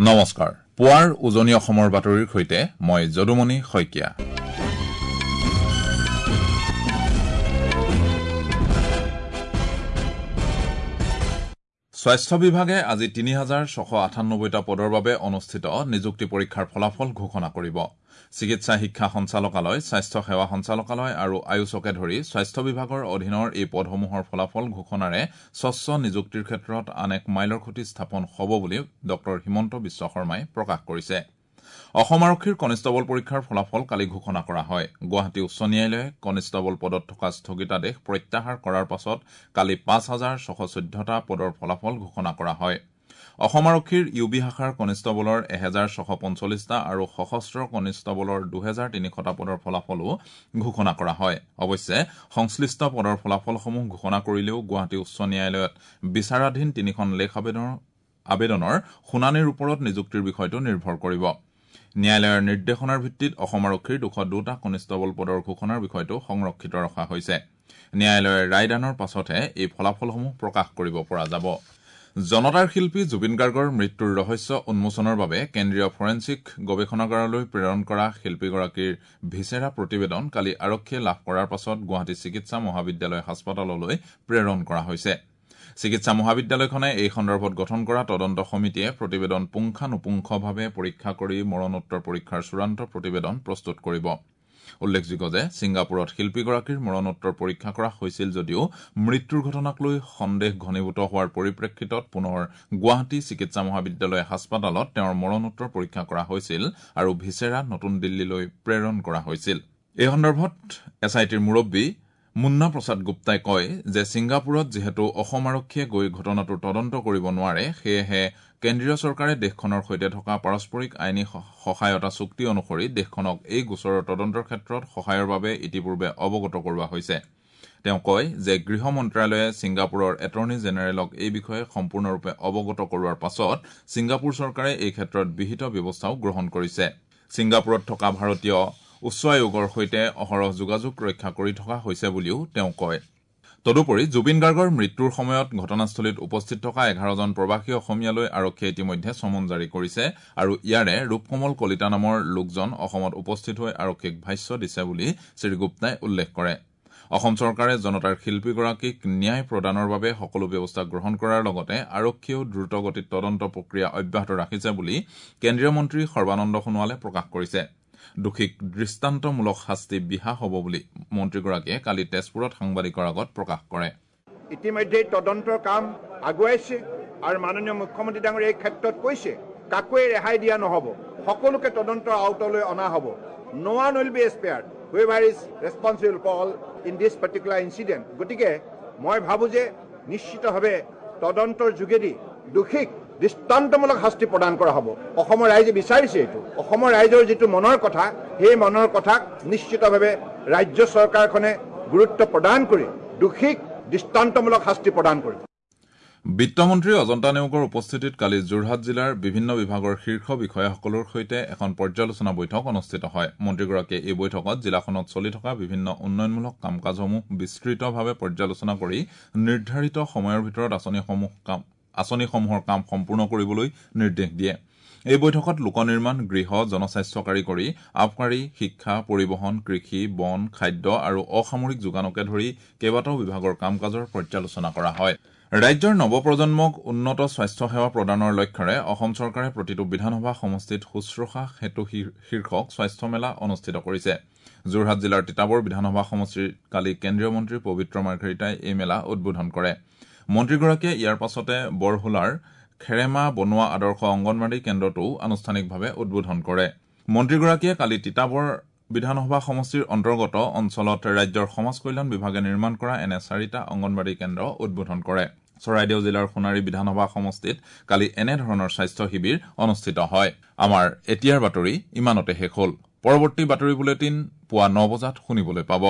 নমস্কাৰ, পুৱাৰ উজনি অসমৰ বাতৰিৰ সৈতে মই যদুমণি শইকীয়া। স্বাস্থ্য বিভাগে আজি ৩৬৯৮টা পদৰ বাবে অনুষ্ঠিত নিযুক্তি পৰীক্ষাৰ ফলাফল ঘোষণা কৰিব। চিকিৎসা শিক্ষা সঞ্চালকালয়, স্বাস্থ্য সেৱা সঞ্চালকালয় আৰু আয়ুষকে ধৰি স্বাস্থ্য বিভাগৰ অধীনৰ এই পদসমূহৰ ফলাফল ঘোষণাৰে স্বচ্ছ নিযুক্তিৰ ক্ষেত্ৰত আন এক মাইলৰ খুঁটি স্থাপন হ'ব বুলি ডঃ হিমন্ত বিশ্ব শৰ্মাই প্ৰকাশ কৰিছে। অসম আৰক্ষীৰ কনিষ্টবল পৰীক্ষাৰ ফলাফল কালি ঘোষণা কৰা হয়। গুৱাহাটী উচ্চ ন্যায়ালয়ে কনিষ্টবল পদত থকা স্থগিতাদেশ প্ৰত্যাহাৰ কৰাৰ পাছত কালি ৫৬১৪টা পদৰ ফলাফল ঘোষণা কৰা হয়। অসম আৰক্ষীৰ ইউ বি শাখাৰ কনিষ্টবলৰ ১৬৪৫টা আৰু সশস্ত্ৰ কনিষ্টবলৰ ২৩০০টা পদৰ ফলাফলো ঘোষণা কৰা হয়। অৱশ্যে সংশ্লিষ্ট পদৰ ফলাফলসমূহ ঘোষণা কৰিলেও গুৱাহাটী উচ্চ ন্যায়ালয়ত বিচাৰাধীন তিনিখন লেখ আবেদনৰ শুনানিৰ ওপৰত নিযুক্তিৰ বিষয়টো নিৰ্ভৰ কৰিব। ন্যায়ালয়ৰ নিৰ্দেশনাৰ ভিত্তিত অসম আৰক্ষীৰ ২০২টা কনিষ্টবল পদৰ ঘোষণাৰ বিষয়টো সংৰক্ষিত ৰখা হৈছে। ন্যায়ালয়ৰ ৰায়দানৰ পাছতহে এই ফলাফলসমূহ প্ৰকাশ কৰিব পৰা যাব। জনতাৰ শিল্পী জুবিন গাৰ্গৰ মৃত্যুৰ ৰহস্য উন্মোচনৰ বাবে কেন্দ্ৰীয় ফৰেনছিক গৱেষণাগাৰলৈ প্ৰেৰণ কৰা শিল্পীগৰাকীৰ ভিচেৰা প্ৰতিবেদন কালি আৰক্ষীয়ে লাভ কৰাৰ পাছত গুৱাহাটী চিকিৎসা মহাবিদ্যালয় হাস্পতাললৈ প্ৰেৰণ কৰা হৈছে। চিকিৎসা মহাবিদ্যালয়খনে এই সন্দৰ্ভত গঠন কৰা তদন্ত সমিতিয়ে প্ৰতিবেদন পুংখানুপুংখভাৱে পৰীক্ষা কৰি মৰণোত্তৰ পৰীক্ষাৰ চূড়ান্ত প্ৰতিবেদন প্ৰস্তুত কৰিব। উল্লেখযোগ্য যে ছিংগাপুৰত শিল্পীগৰাকীৰ মৰণোত্তৰ পৰীক্ষা কৰা হৈছিল যদিও মৃত্যুৰ ঘটনাক লৈ সন্দেহ ঘনীভূত হোৱাৰ পৰিপ্ৰেক্ষিতত পুনৰ গুৱাহাটী চিকিৎসা মহাবিদ্যালয় হাস্পতালত তেওঁৰ মৰণোত্তৰ পৰীক্ষা কৰা হৈছিল আৰু ভিচেৰা নতুন দিল্লীলৈ প্ৰেৰণ কৰা হৈছিল। এই সন্দৰ্ভত এছ I টিৰ মুৰব্বী মুন্না প্ৰসাদ গুপ্তাই কয় যে ছিংগাপুৰত যিহেতু অসম আৰক্ষীয়ে গৈ ঘটনাটোৰ তদন্ত কৰিব নোৱাৰে, সেয়েহে কেন্দ্ৰীয় চৰকাৰে দেশখনৰ সৈতে থকা পাৰস্পৰিক আইনী সহায়তা চুক্তি অনুসৰি দেশখনক এই গোচৰৰ তদন্তৰ ক্ষেত্ৰত সহায়ৰ বাবে ইতিপূৰ্বে অৱগত কৰোৱা হৈছে। তেওঁ কয় যে গৃহ মন্ত্ৰালয়ে ছিংগাপুৰৰ এটৰ্নী জেনেৰেলক এই বিষয়ে সম্পূৰ্ণৰূপে অৱগত কৰোৱাৰ পাছত ছিংগাপুৰ চৰকাৰে এই ক্ষেত্ৰত বিহিত ব্যৱস্থাও গ্ৰহণ কৰিছে। ছিংগাপুৰত থকা ভাৰতীয় উচ্চ আয়োগৰ সৈতে অহৰহ যোগাযোগ ৰক্ষা কৰি থকা হৈছে বুলিও তেওঁ কয়। তদুপৰি জুবিন গাৰ্গৰ মৃত্যুৰ সময়ত ঘটনাস্থলীত উপস্থিত থকা ১১জন প্ৰৱাসী অসমীয়ালৈ আৰক্ষীয়ে ইতিমধ্যে চমন জাৰি কৰিছে আৰু ইয়াৰে ৰূপকমল কলিতা নামৰ লোকজন অসমত উপস্থিত হৈ আৰক্ষীক ভাষ্য দিছে বুলি শ্ৰীগুপ্তাই উল্লেখ কৰে। অসম চৰকাৰে জনতাৰ শিল্পীগৰাকীক ন্যায় প্ৰদানৰ বাবে সকলো ব্যৱস্থা গ্ৰহণ কৰাৰ লগতে আৰক্ষীয়েও দ্ৰুতগতিত তদন্ত প্ৰক্ৰিয়া অব্যাহত ৰাখিছে বুলি কেন্দ্ৰীয় মন্ত্ৰী সৰ্বানন্দ সোণোৱালে প্ৰকাশ কৰিছে। দোষীক দৃষ্টান্তমূলক শাস্তি বিহা হ'ব বুলি মন্ত্ৰীগৰাকীয়ে কালি তেজপুৰত সাংবাদিকৰ আগত প্ৰকাশ কৰে। ইতিমধ্যে তদন্তৰ কাম আগুৱাইছে আৰু মাননীয় মুখ্যমন্ত্ৰী ডাঙৰীয়া এই ক্ষেত্ৰত কৈছে কাকোৱে ৰেহাই দিয়া নহ'ব, সকলোকে তদন্তৰ আওতালৈ অনা হ'ব। No one will be spared, whoever is responsible for all in this particular incident. গতিকে মই ভাবোঁ যে নিশ্চিতভাৱে তদন্তৰ যোগেদি দোষীক দৃষ্টান্তমূলক শাস্তি প্ৰদান কৰা হ'ব। অসমৰ ৰাইজে বিচাৰিছে এইটো। অসমৰ ৰাইজৰ যিটো মনৰ কথা, সেই মনৰ কথাক নিশ্চিতভাৱে ৰাজ্য চৰকাৰখনে গুৰুত্ব প্ৰদান কৰি দোষীক দৃষ্টান্তমূলক শাস্তি প্ৰদান কৰিব। বিত্তমন্ত্ৰী অজন্তা নেওগৰ উপস্থিতিত কালি যোৰহাট জিলাৰ বিভিন্ন বিভাগৰ শীৰ্ষ বিষয়াসকলৰ সৈতে এখন পৰ্যালোচনা বৈঠক অনুষ্ঠিত হয়। মন্ত্ৰীগৰাকীয়ে এই বৈঠকত জিলাখনত চলি থকা বিভিন্ন উন্নয়নমূলক কাম কাজসমূহ বিস্তৃতভাৱে পৰ্যালোচনা কৰি নিৰ্ধাৰিত সময়ৰ ভিতৰত আঁচনিসমূহৰ কাম সম্পূৰ্ণ কৰিবলৈ নিৰ্দেশ দিয়ে। এই বৈঠকত লোক নিৰ্মাণ, গৃহ, জনস্বাস্থ্য কাৰিকৰী, আবকাৰী, শিক্ষা, পৰিবহণ, কৃষি, বন, খাদ্য আৰু অসামৰিক যোগানকে ধৰি কেইবাটাও বিভাগৰ কাম কাজৰ পৰ্যালোচনা কৰা হয়। ৰাজ্যৰ নৱপ্ৰজন্মক উন্নত স্বাস্থ্য সেৱা প্ৰদানৰ লক্ষ্যৰে অসম চৰকাৰে প্ৰতিটো বিধানসভা সমষ্টিত শুশ্ৰূষা সেতু শীৰ্ষক স্বাস্থ্য মেলা অনুষ্ঠিত কৰিছে। যোৰহাট জিলাৰ তিতাবৰ বিধানসভা সমষ্টিত কালি কেন্দ্ৰীয় মন্ত্ৰী পবিত্ৰ মাৰ্ঘেৰিটাই এই মেলা উদ্বোধন কৰে। মন্ত্ৰীগৰাকীয়ে ইয়াৰ পাছতে বৰহোলাৰ খেৰেমা বনোৱা আদৰ্শ অংগনবাড়ী কেন্দ্ৰটোও আনুষ্ঠানিকভাৱে উদ্বোধন কৰে। মন্ত্ৰীগৰাকীয়ে কালি তিতাবৰ বিধানসভা সমষ্টিৰ অন্তৰ্গত অঞ্চলত ৰাজ্যৰ সমাজ কল্যাণ বিভাগে নিৰ্মাণ কৰা এনে ৪টা অংগনবাড়ী কেন্দ্ৰ উদ্বোধন কৰে। চৰাইদেউ জিলাৰ সোণাৰী বিধানসভা সমষ্টিত কালি এনেধৰণৰ স্বাস্থ্য শিবিৰ অনুষ্ঠিত হয়। আমাৰ এতিয়াৰ বাতৰি ইমানতে শেষ হ'ল। পৰৱৰ্তী বাতৰি বুলেটিন পুৱা ৯ বজাত শুনিবলৈ পাব।